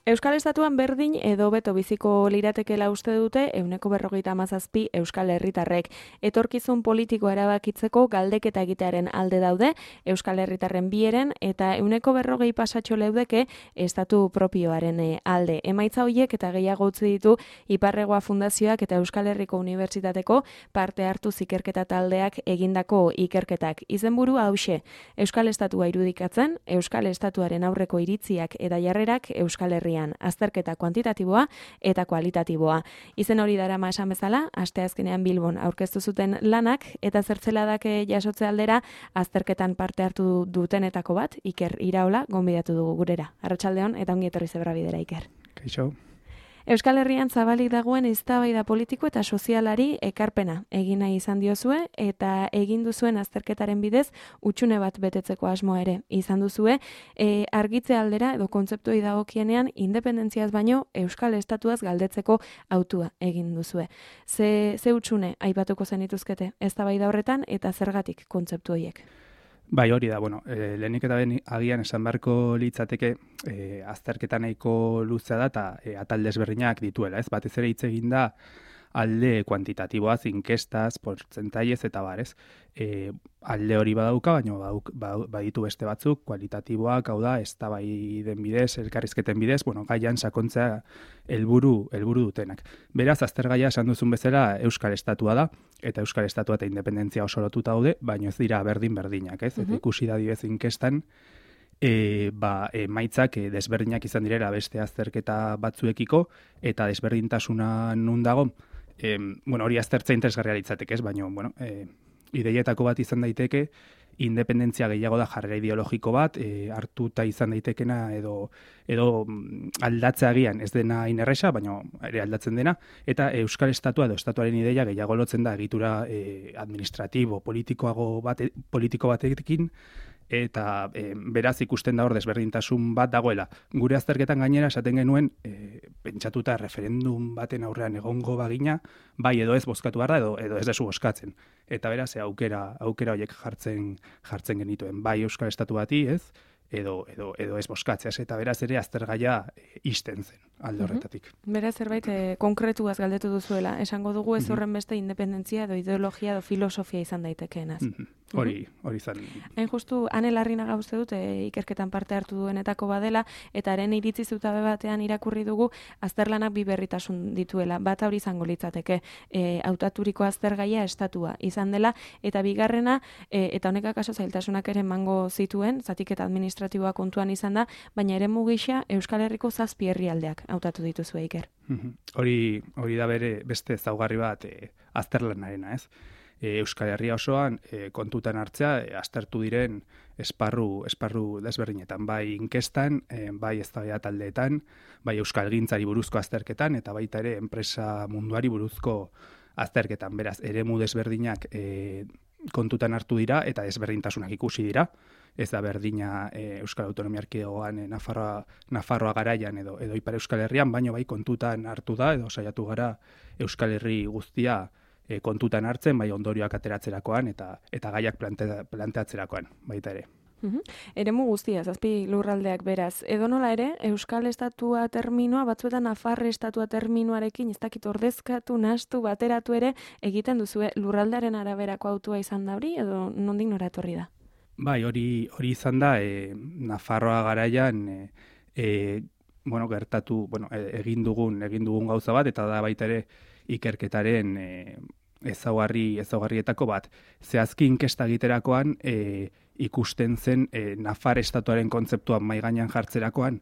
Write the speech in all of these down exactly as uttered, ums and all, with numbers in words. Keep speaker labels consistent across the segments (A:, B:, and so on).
A: Euskal Estatuan berdin edo beto biziko liratekela uste dute ehuneko berrogeita hamazazpi Euskal Herritarrek. Etorkizun politiko erabakitzeko galdeketa egitearen alde daude Euskal Herritarren bieren eta ehuneko berrogei pasatxo leudeke estatu propioaren alde. Emaitza horiek eta gehiago utzi ditu Iparregoa Fundazioak eta Euskal Herriko Unibertsitateko parte hartu ikerketa taldeak egindako ikerketak. Izenburu hauxe, Euskal Estatua irudikatzen, Euskal Estatuaren aurreko iritziak eta jarrerak Euskal Herrian, azterketa kuantitatiboa eta kualitatiboa. Izen hori darama esan bezala, asteazkenean Bilbon aurkeztu zuten lanak eta zertzeladak jasotze aldera azterketan parte hartu dutenetako bat, Iker Iraola, gonbidatu dugu gurera. Arratsaldeon eta ongi etorri Zebrabidera, Iker.
B: Kaixo.
A: Euskal Herrian zabalik dagoen eztabaida politiko eta sozialari ekarpena egin nahi izan diozue eta egin duzuen azterketaren bidez utxune bat betetzeko asmoa ere izan duzue, e, argitze aldera edo kontzeptuei dagokienean independentziaz baino Euskal Estatuaz galdetzeko autua egin duzue. Ze, ze utxune aipatuko zenituzkete eztabaida horretan eta zergatik kontzeptu horiek?
B: Bai, hori da, bueno, e, lehenik eta ben agian esan beharko litzateke e, azterketa nahiko luzea da eta e, atal desberdinak dituela, ez? Batez ere hitz egin da alde kuantitatiboaz, inkestaz, portzentaiez eta bar, ez? E, alde hori badauka, baina badauk, baditu beste batzuk, kualitatiboak, hau da, eztabaiden bidez, elkarrizketen bidez, bueno, gaian sakontzea helburu helburu dutenak. Beraz, aztergaia esan duzun bezala Euskal Estatua da, eta Euskal Estatua eta independentzia oso lotuta daude, baina ez dira berdin-berdinak, ez? Eta ikusi da dibez inkestan, E, ba, emaitzak e, desberdinak izan direla beste azterketa batzuekiko eta desberdintasuna nun dago, e, bueno, hori aztertza interesgarria litzateke, ez, baina, bueno, e, ideietako bat izan daiteke, independentzia gehiago da jarrera ideologiko bat, e, hartuta izan daitekena edo edo aldatzea agian ez dena inerresa, baina ere aldatzen dena, eta Euskal Estatua edo estatuaren ideia gehiago lotzen da egitura e, administratibo, politikoago bate, politiko batekin, eta e, beraz ikusten da hor desberdintasun bat dagoela. Gure azterketan gainera esaten genuen e, pentsatuta referendum baten aurrean egongo bagina, bai edo ez bozkatu behar da edo, edo ez desu bozkatzen. Eta beraz e, aukera aukera horiek jartzen jartzen genituen. Bai Euskal Estatu bati, ez? Edo, edo, edo ez bozkatzeaz, eta beraz ere aztergaia e, isten zen alde horretatik.
A: Mm-hmm. Beraz, zerbait e, konkretuaz galdetu duzuela, esango dugu ez horren beste independentzia edo ideologia edo filosofia izan daitekeenaz.
B: Mm-hmm. Hori, hori zan.
A: Hain justu, Ane Larrinaga uste dut, e, ikerketan parte hartu duenetako badela, eta haren iritzi zutabe batean irakurri dugu, azterlanak bi berritasun dituela. Bat hori izango litzateke, e, hautaturiko aztergaia estatua izan dela, eta bigarrena, e, eta honek akaso zailtasunak ere emango zituen, zatiketa administratiboa kontuan izan da, baina ere mugisa Euskal Herriko zazpi herrialdeak hautatu dituzue, Iker.
B: Hori, hori da bere beste ezaugarri bat e, azterlanarena, ez? Euskal Herria osoan e, kontutan hartzea e, aztertu diren esparru esparru desberdinetan, bai inkestan, e, bai eztabaida taldeetan, bai euskalgintzari buruzko azterketan eta baita ere enpresa munduari buruzko azterketan. Beraz, eremu desberdinak e, kontutan hartu dira eta desberdintasunak ikusi dira. Ez da berdina e, Euskal Autonomia Erkidegoan e, Nafarroa, Nafarroa garaian edo edo Ipar Euskal Herrian, baino bai kontutan hartu da edo saiatu gara Euskal Herri guztia E, kontutan hartzen, bai ondorioak ateratzerakoan eta eta gaiak plante, planteatzerakoan, baita ere.
A: Uhum. Eremu guztia, zazpi lurraldeak beraz. Edonola ere, Euskal Estatua terminoa, batzuetan Nafarre Estatua terminoarekin, ez dakit ordezkatu, nahastu, bateratu ere, egiten duzue lurraldearen araberako autua izan da hori, edo nondik nora etorri da?
B: Bai, hori hori izan da, e, Nafarroa garaian, e, e, bueno, gertatu, bueno, egin dugun, egin dugun gauza bat, eta da baita ere ikerketaren e, ezaugarri ezaugarrietako bat. Zehazki inkesta egiterakoan e, ikusten zen e, Nafar estatuaren kontzeptua mahai gainean jartzerakoan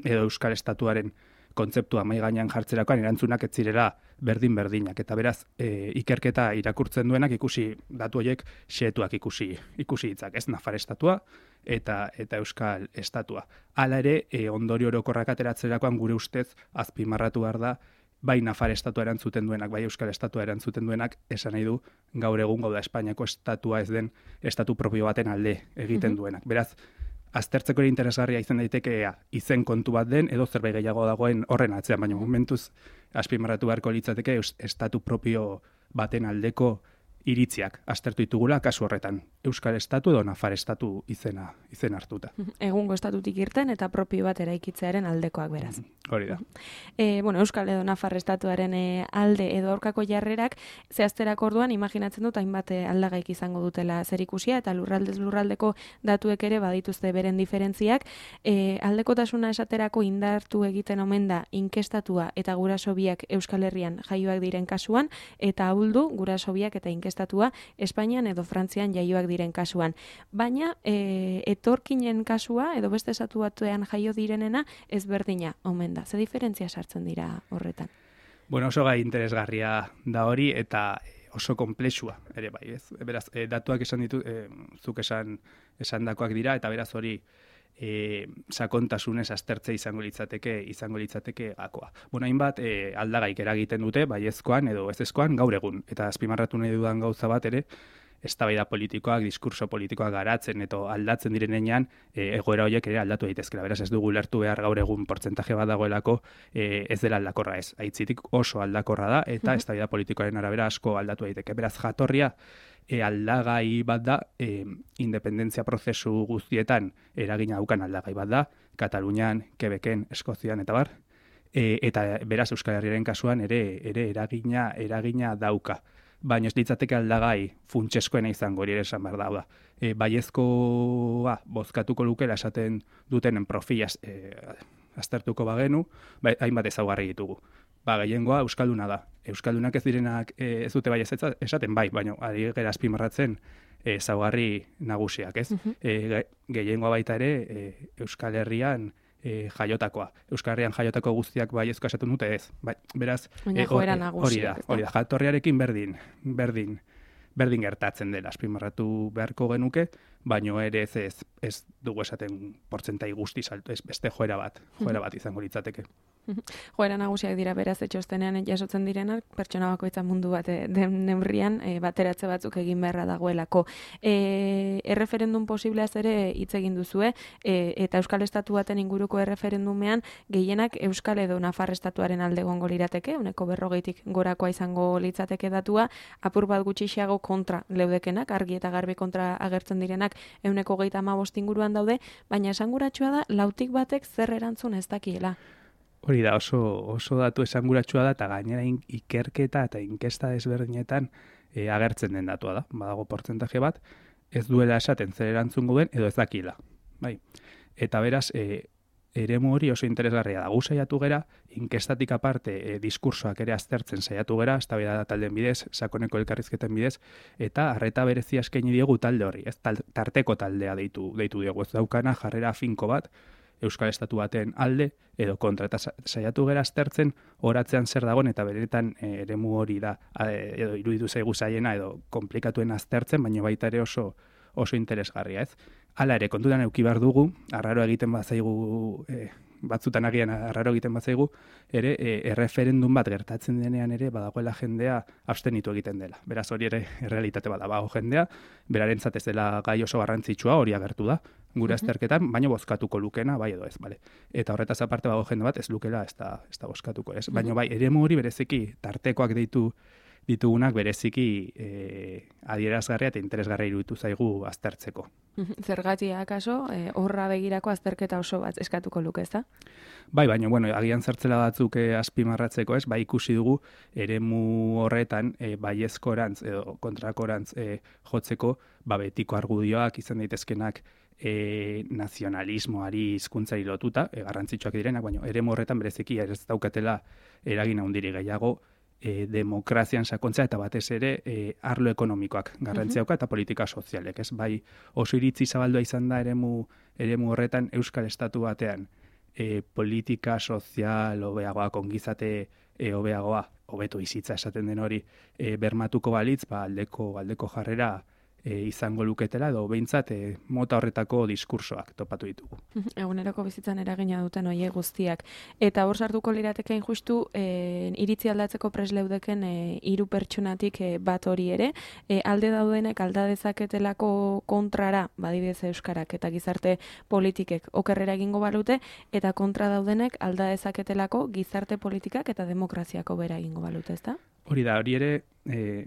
B: edo Euskal Estatuaren kontzeptua mahai gainean jartzerakoan erantzunak ez zirela berdin-berdinak eta beraz e, ikerketa irakurtzen duenak ikusi datu horiek xehetuak ikusi ikusi ditzak, ez Nafar estatua eta eta Euskal Estatua. Hala ere e, ondorio orokorrak ateratzerakoan gure ustez azpimarratu behar da bai Nafar estatua erantzuten duenak, bai Euskal Estatua erantzuten duenak, esan nahi du gaur egun gauda Espainiako estatua ez den estatu propio baten alde egiten duenak. Beraz, aztertzeko ere interesgarria izan daiteke izen kontu bat den, edo zerbait gehiago dagoen horren atzean, baina momentuz azpimarratu beharko litzateke estatu propio baten aldeko iritziak aztertu ditugula kasu horretan. Euskal Estatu edo Nafar Estatu izena, izen hartuta.
A: Egungo estatutik irten eta propio bat eraikitzearen aldekoak beraz.
B: Hori da.
A: E, bueno, Euskal edo Nafar Estatuaren e, alde edo aurkako jarrerak zehazterak orduan imaginatzen dut hainbat aldagaik izango dutela zerikusia eta lurraldez lurraldeko datuek ere badituzte beren diferentziak. E, aldekotasuna esaterako indartu egiten omen da inkestatua eta guraso biak Euskal Herrian jaioak diren kasuan eta ahuldu guraso biak eta inkestatua Espainian edo Frantzian jaioak diren kasuan. Baina e, etorkinen kasua edo beste estatu batean jaio direnena ezberdina omen da. Ze diferentzia sartzen dira horretan?
B: Bueno, oso gai interesgarria da hori eta oso konplexua ere bai, ez? Beraz, e, datuak esan ditu, e, zuk esan esandakoak dira eta beraz hori E, sakontasunez aztertze izango litzateke izango litzateke gakoa. Bueno, hainbat e, aldagaik eragiten dute baiezkoan edo ezezkoan gaur egun eta azpimarratu nahi dudan gauza bat ere eztabaida politikoak, diskurso politikoak garatzen eta aldatzen direnean e, egoera horiek ere aldatu daitezkeela. Beraz ez dugu lertu behar gaur egun portzentaje bat dagoelako e, ez dela aldakorra ez. Aitzitik oso aldakorra da eta mm-hmm. eztabaida politikoaren arabera asko aldatu daiteke. Beraz jatorria E, aldagai bat da, e, independentzia prozesu guztietan eragina daukan aldagai bat da, Katalunian, Quebecen, Eskozian eta bar, e, eta beraz Euskal Herriaren kasuan ere ere eragina eragina dauka. Baina ez litzateke aldagai funtseskoena izango hori ere esan behar da. E, baiezkoa bozkatuko lukela esaten dutenen profila e, aztertuko bagenu, ba, hainbat ezaugarri ditugu. Ba, gehiengoa Euskalduna da. Euskaldunak ez direnak e, ez dute bai ez esaten bai, baina ari gera azpimarratzen ezaugarri nagusiak, ez? Uh-huh. E, gehiengoa baita ere e, Euskal Herrian e, jaiotakoa. Euskal Herrian jaiotako guztiak baiezko esaten dute ez. Ba, beraz,
A: e, joera nagusiak.
B: Hori da, hori da, jatorriarekin berdin, berdin, berdin gertatzen dela azpimarratu beharko genuke, baino ere ez, ez, ez dugu esaten portzentai guzti salto, ez beste joera bat, joera bat izango litzateke.
A: Joera nagusiak dira beraz etxostenean jasotzen direnak, pertsona bakoitza mundu bat den neurrian e, bateratze batzuk egin beharra dagoelako. E, erreferendum posibleaz ere hitz egin duzue, e, eta Euskal Estatu baten inguruko erreferendumean gehienak Euskal edo Nafar Estatuaren alde egongo lirateke, uneko berrogeitik gorakoa izango litzateke datua, apur bat gutxiago kontra leudekenak, argi eta garbi kontra agertzen direnak euneko geita hamabost inguruan daude, baina esanguratsua da lautik batek zer erantzun ez dakiela.
B: Hori da, oso, oso datu esanguratsua da, eta gainera ikerketa eta inkesta desberdinetan e, agertzen den datua da. Badago portzentaje bat, ez duela esaten zer erantzungo den, edo ez dakila. Bai. Eta beraz, e, eremu hori oso interesgarria da. Gu saiatu gera, inkestatik aparte e, diskursoak ere aztertzen saiatu gera, eztabaida taldeen bidez, sakoneko elkarrizketen bidez, eta arreta berezia eskaini diegu talde hori, ez tal, tarteko taldea deitu, deitu diegu. Ez daukana jarrera finko bat, Euskal Estatu baten alde edo kontra, eta saiatu gera aztertzen horatzean zer dagoen eta beretan e, eremu hori da edo iruditu zaigu zaiena edo komplikatuen aztertzen, baina baita ere oso oso interesgarria, ez? Hala ere, kontutan eduki behar dugu, arraro egiten bazaigu, e, batzutan agian arraro egiten bazaigu, ere e, erreferendum bat gertatzen denean ere badagoela jendea abstenitu egiten dela. Beraz hori ere errealitate bat da, bago jendea, berarentzat ez dela gai oso garrantzitsua hori agertu da, gure azterketan, baina bozkatuko lukena, bai edo ez, bale. Eta horretaz aparte bago jende bat ez lukela ez da, ez da bozkatuko, ez? Baina bai, eremu hori bereziki tartekoak deitu ditugunak bereziki e, adierazgarria eta interesgarria iruditu zaigu aztertzeko.
A: Zergatia akaso, e, horra begirako azterketa oso bat eskatuko luke, ez da?
B: Bai, baina, bueno, agian zertzela batzuk e, azpimarratzeko, ez? Bai, ikusi dugu eremu horretan e, baiezkorantz edo kontrakorantz e, jotzeko, ba, betiko argudioak izan daitezkenak e, nazionalismoari hizkuntzari lotuta, e, garrantzitsuak direnak, baina eremu horretan bereziki ez daukatela eragin handiri gehiago, E, demokrazian sakontzea eta batez ere e, arlo ekonomikoak garrantzia dauka eta politika sozialek, ez? Bai, oso iritzi zabaldua izan da eremu eremu horretan Euskal Estatu batean e, politika sozial hobeagoa, ongizate e, hobeagoa, hobeto bizitza esaten den hori e, bermatuko balitz, ba aldeko aldeko jarrera E, izango luketela edo behintzat e, mota horretako diskursoak topatu ditugu.
A: Eguneroko bizitzan eragina duten hoiek guztiak. Eta hor sartuko liratekein justu e, iritzi aldatzeko presleudeken e, hiru pertsonatik e, bat hori ere, e, alde daudenek alda dezaketelako kontrara, badibidez euskarak eta gizarte politikek okerrera egingo balute, eta kontra daudenek alda dezaketelako gizarte politikak eta demokraziako bera egingo balute, ezta?
B: Hori da, hori ere, e,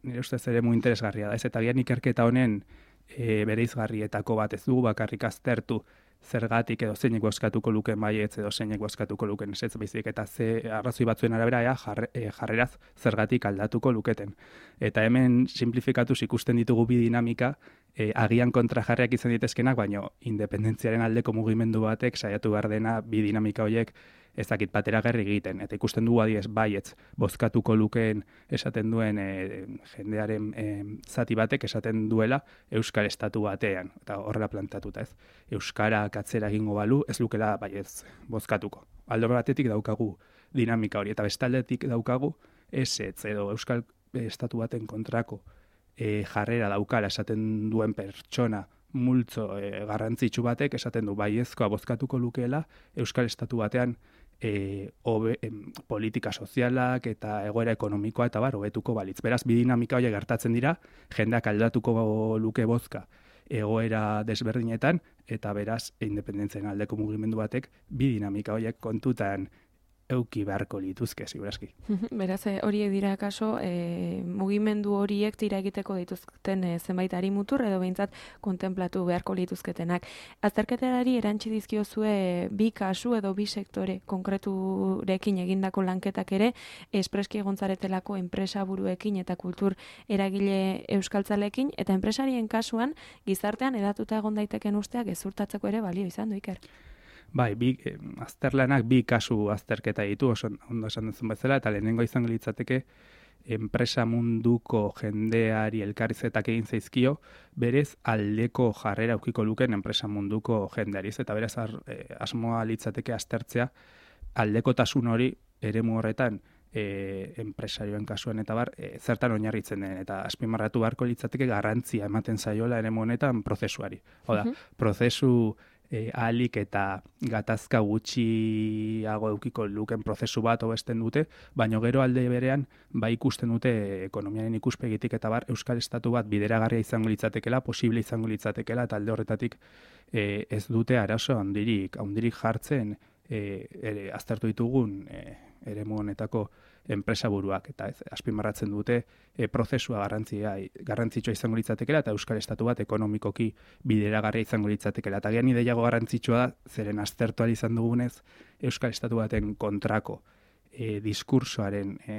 B: nire ustez ere mu interesgarria da, ez eta gian ikerketa honen e, bereizgarrietako bat ez dugu bakarrik aztertu zergatik edo zeinek bozkatuko luken baietz edo zeinek bozkatuko luken ezetz, baizik eta ze arrazoi batzuen arabera ea, jarre, e, jarreraz zergatik aldatuko luketen. Eta hemen simplifikatuz ikusten ditugu bi dinamika, e, agian kontrajarriak izan ditezkenak, baino independentziaren aldeko mugimendu batek saiatu behar dena bi dinamika horiek ezakit bateragarri egiten. Eta ikusten dugu adiez baietz bozkatuko lukeen esaten duen e, jendearen e, zati batek esaten duela Euskal Estatu batean, eta horrela plantatuta ez. Euskarak atzera egingo balu, ez lukela baietz bozkatuko. Alde batetik daukagu dinamika hori, eta bestaldetik daukagu ezetz edo Euskal Estatu baten kontrako e, jarrera daukala esaten duen pertsona multzo e, garrantzitsu batek esaten du baiezkoa bozkatuko lukeela Euskal Estatu batean e, obe, em, politika sozialak eta egoera ekonomikoa eta bar hobetuko balitz. Beraz, bi dinamika horiek gertatzen dira, jendeak aldatuko luke bozka egoera desberdinetan, eta beraz, independentzien aldeko mugimendu batek bi dinamika horiek kontutan euki beharko lituzke, segurazki.
A: Beraz, horiek dira kaso, e, mugimendu horiek tira egiteko dituzten e, zenbait arimutur edo behintzat kontemplatu beharko lituzketenak. Azterketarari erantzi dizkiozue bi kasu edo bi sektore konkreturekin egindako lanketak ere, espreski egontzaretelako enpresa buruekin eta kultur eragile euskaltzalekin, eta enpresarien kasuan gizartean edatuta egon daiteken usteak gezurtatzeko ere balio izan du, Iker.
B: Bai, bi, eh, azterlanak bi kasu azterketa ditu, oso ondo esan duzun bezala, eta lehenengo izango litzateke enpresa munduko jendeari elkarrizetak egin zaizkio, berez aldeko jarrera aukiko luken enpresa munduko jendeari, eta berez ar, eh, asmoa litzateke aztertzea aldekotasun hori eremu horretan e, enpresarioen kasuan eta bar, e, zertan oinarritzen den, eta azpimarratu beharko litzateke garrantzia ematen zaiola eremu honetan prozesuari. Oda, uh-huh. prozesu E, ahalik eta gatazka gutxiago eukiko luken prozesu bat hobesten dute, baino gero alde berean bai ikusten dute ekonomiaren ikuspegitik eta bar Euskal Estatu bat bideragarria izango litzatekela, posible izango litzatekela, eta alde horretatik e, ez dute arazo handirik, handirik jartzen e, ere, aztertu ditugun e, eremu honetako enpresa buruak, eta ez, azpimarratzen dute e, prozesua garrantzia, garrantzitsua izango litzatekela, eta Euskal Estatu bat ekonomikoki bideragarria izango litzatekela. Eta gian ideiago garrantzitsua da, zeren aztertuari izan dugunez, Euskal Estatu baten kontrako e, diskursoaren e,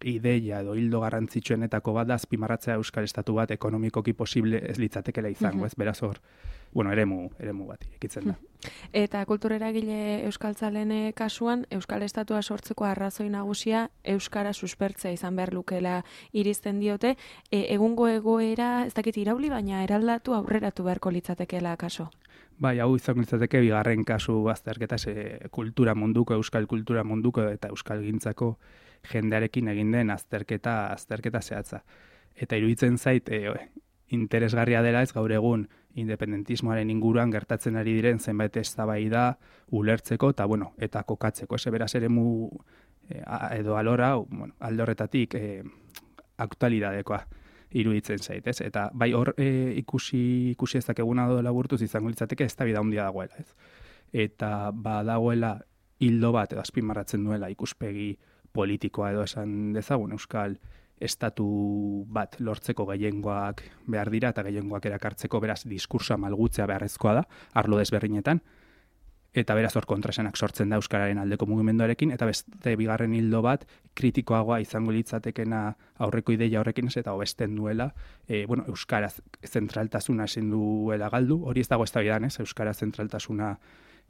B: ideia edo hildo garrantzitsuenetako bat da azpimarratzea Euskal Estatu bat ekonomikoki posible ez litzatekela izango, uh-huh. ez beraz hor, bueno, eremu, eremu bat irekitzen da.
A: Eta kultureragile euskaltzalen kasuan, Euskal Estatua sortzeko arrazoi nagusia Euskara suspertzea izan behar lukela irizten diote, e, egungo egoera, ez dakit irauli, baina eraldatu aurreratu beharko litzatekeela kaso.
B: Bai, hau izango litzateke bigarren kasu azterketa e, kultura munduko, euskal kultura munduko eta euskal gintzako jendearekin egin den azterketa azterketa zehatza. Eta iruditzen zait e, interesgarria dela ez gaur egun independentismoaren inguruan gertatzen ari diren zenbait eztabaida ulertzeko eta bueno, eta kokatzeko. Ese beraz eremu e, edo alora, bueno, alde horretatik e, aktualidadekoa iruditzen zait, ez? Eta bai hor e, ikusi ikusi ezakeguna do laburtuz izango litzateke eztabaida handia dagoela, ez? Eta badagoela hildo bat edo azpimarratzen duela ikuspegi politikoa edo esan dezagun Euskal Estatu bat lortzeko gehiengoak behar dira eta gehiengoak erakartzeko beraz diskursoa malgutzea beharrezkoa da, arlo desberdinetan, eta beraz hor kontraesanak sortzen da Euskararen aldeko mugimenduarekin, eta beste bigarren hildo bat kritikoagoa izango litzatekena aurreko ideia horrekin ez eta hobesten duela, e, bueno, Euskaraz zentraltasuna ezin duela galdu, hori ez dago eztabaidan, ez, Euskara zentraltasuna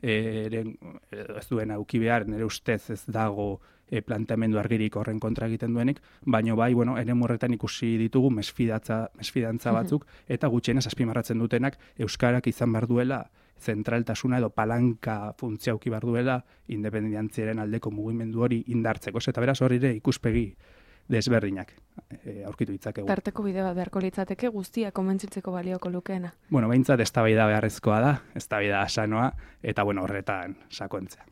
B: eren, ez duen auki behar, nire ustez ez dago e, planteamendu argirik horren kontra egiten duenik, baino bai, bueno, ere morretan ikusi ditugu mesfidatza, mesfidantza batzuk, eta gutxienez azpimarratzen dutenak Euskarak izan behar duela zentraltasuna edo palanka funtzia auki behar duela independentziaren aldeko mugimendu hori indartzeko, eta beraz hori ere ikuspegi desberdinak e, aurkitu ditzakegu.
A: Tarteko bide bat beharko litzateke guztia konbentzitzeko balioko lukeena.
B: Bueno, behintzat eztabaida beharrezkoa da, eztabaida sanoa, eta bueno, horretan sakontzea.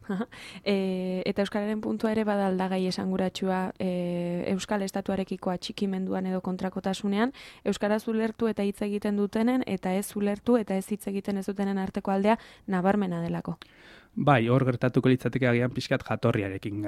A: e, eta Euskararen puntua ere bada aldagai esanguratsua e, Euskal Estatuarekiko atxikimenduan edo kontrakotasunean, Euskaraz ulertu eta hitz egiten dutenen, eta ez ulertu eta ez hitz egiten ez dutenen arteko aldea nabarmena delako.
B: Bai, hor gertatuko litzateke agian pixkat jatorriarekin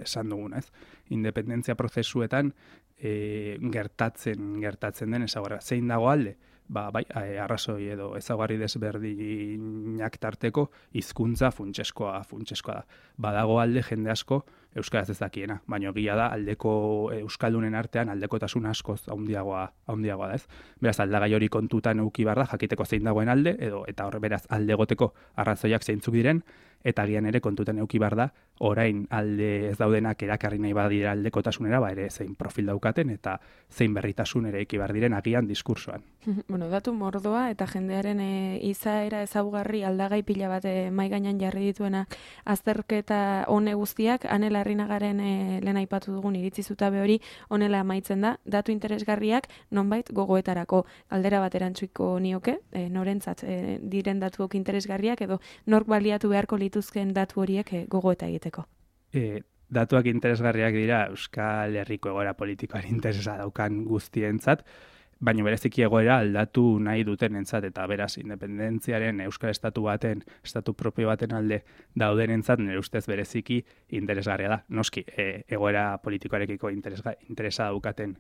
B: esan duguna, ez? Independentzia prozesuetan e, gertatzen gertatzen den ezaugarri. Zein dago alde? Ba, bai, arrazoi edo ezaugarri desberdinak tarteko hizkuntza funtseskoa funtseskoa da. Badago alde jende asko euskaraz ez dakiena, baina egia da aldeko euskaldunen artean aldekotasun askoz handiagoa handiagoa da, ez? Beraz, aldagai hori kontutan eduki behar da, jakiteko zein dagoen alde edo eta hor beraz alde egoteko arrazoiak zeintzuk diren, eta agian ere kontutan eduki behar da, orain alde ez daudenak erakarri nahi badira aldekotasunera, ba ere zein profil daukaten eta zein berritasun ere eki behar diren agian diskursoan.
A: Bueno, datu mordoa eta jendearen e, izaera ezaugarri aldagai pila bat e, mai gainean jarri dituena azterketa hone guztiak, Ane Larrinagaren e, lehen aipatu dugun iritzi zutabe hori honela amaitzen da, datu interesgarriak nonbait gogoetarako. Galdera bat erantzuiko nioke, e, norentzat e, diren datuok interesgarriak edo nork baliatu beharko lituzken datu horiek e, gogoeta egiteko.
B: E, datuak interesgarriak dira Euskal Herriko egoera politikoan interesa daukan guztientzat, baina bereziki egoera aldatu nahi dutenentzat eta beraz independentziaren Euskal Estatu baten, estatu propio baten alde daudenentzat nire ustez bereziki interesgarria da. Noski, e, egoera politikoarekiko interesa, interesa daukaten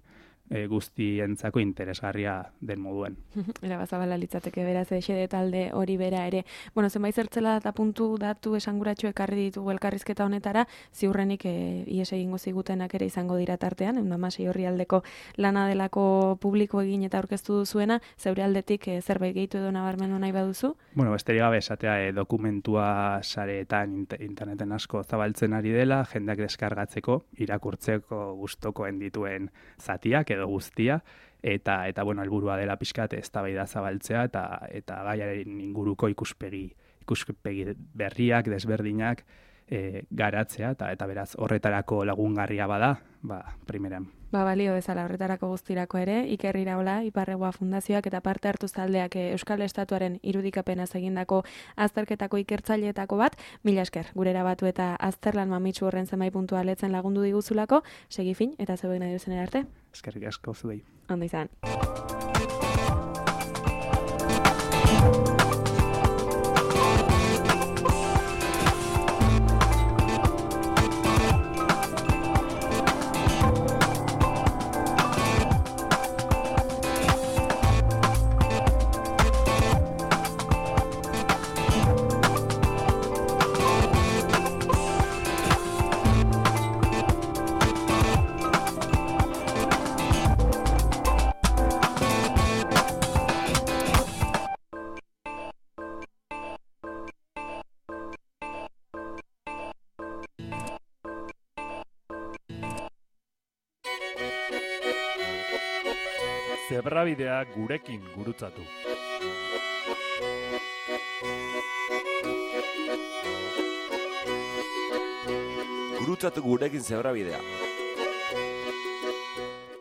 B: e, guztientzako interesgarria den moduen.
A: Era bazabala litzateke beraz xede talde hori bera ere. Bueno, zenbait zertzela eta puntu datu esanguratsu ekarri ditugu elkarrizketa honetara, ziurrenik e, ies egingo zigutenak ere izango dira tartean, ehun eta hamasei orri aldeko lana delako publiko egin eta aurkeztu duzuena, zeure aldetik e, zerbait gehitu edo nabarmendu nahi baduzu?
B: Bueno, besterik gabe esatea e, dokumentua sareetan interneten asko zabaltzen ari dela, jendeak deskargatzeko, irakurtzeko gustokoen dituen zatiak edo guztia, eta eta bueno, helburua dela pixkat eztabaida zabaltzea eta eta gaiaren inguruko ikuspegi ikuspegi berriak, desberdinak e, garatzea eta eta beraz horretarako lagungarria bada, ba primeran.
A: Ba, balio bezala horretarako guztirako ere, Iker Iraola, Iparregoa Fundazioak eta parte hartu taldeak Euskal Estatuaren irudikapenaz egindako azterketako ikertzaileetako bat, mila esker, gurera batu eta azterlan mamitsu horren zenbait puntua letzen lagundu diguzulako, segi fin eta zeuek nahi duzen arte.
B: Eskerrik asko zuei.
A: Ondo izan.
C: Zebrabidea gurekin gurutzatu.
D: Gurutzatu gurekin zebrabidea.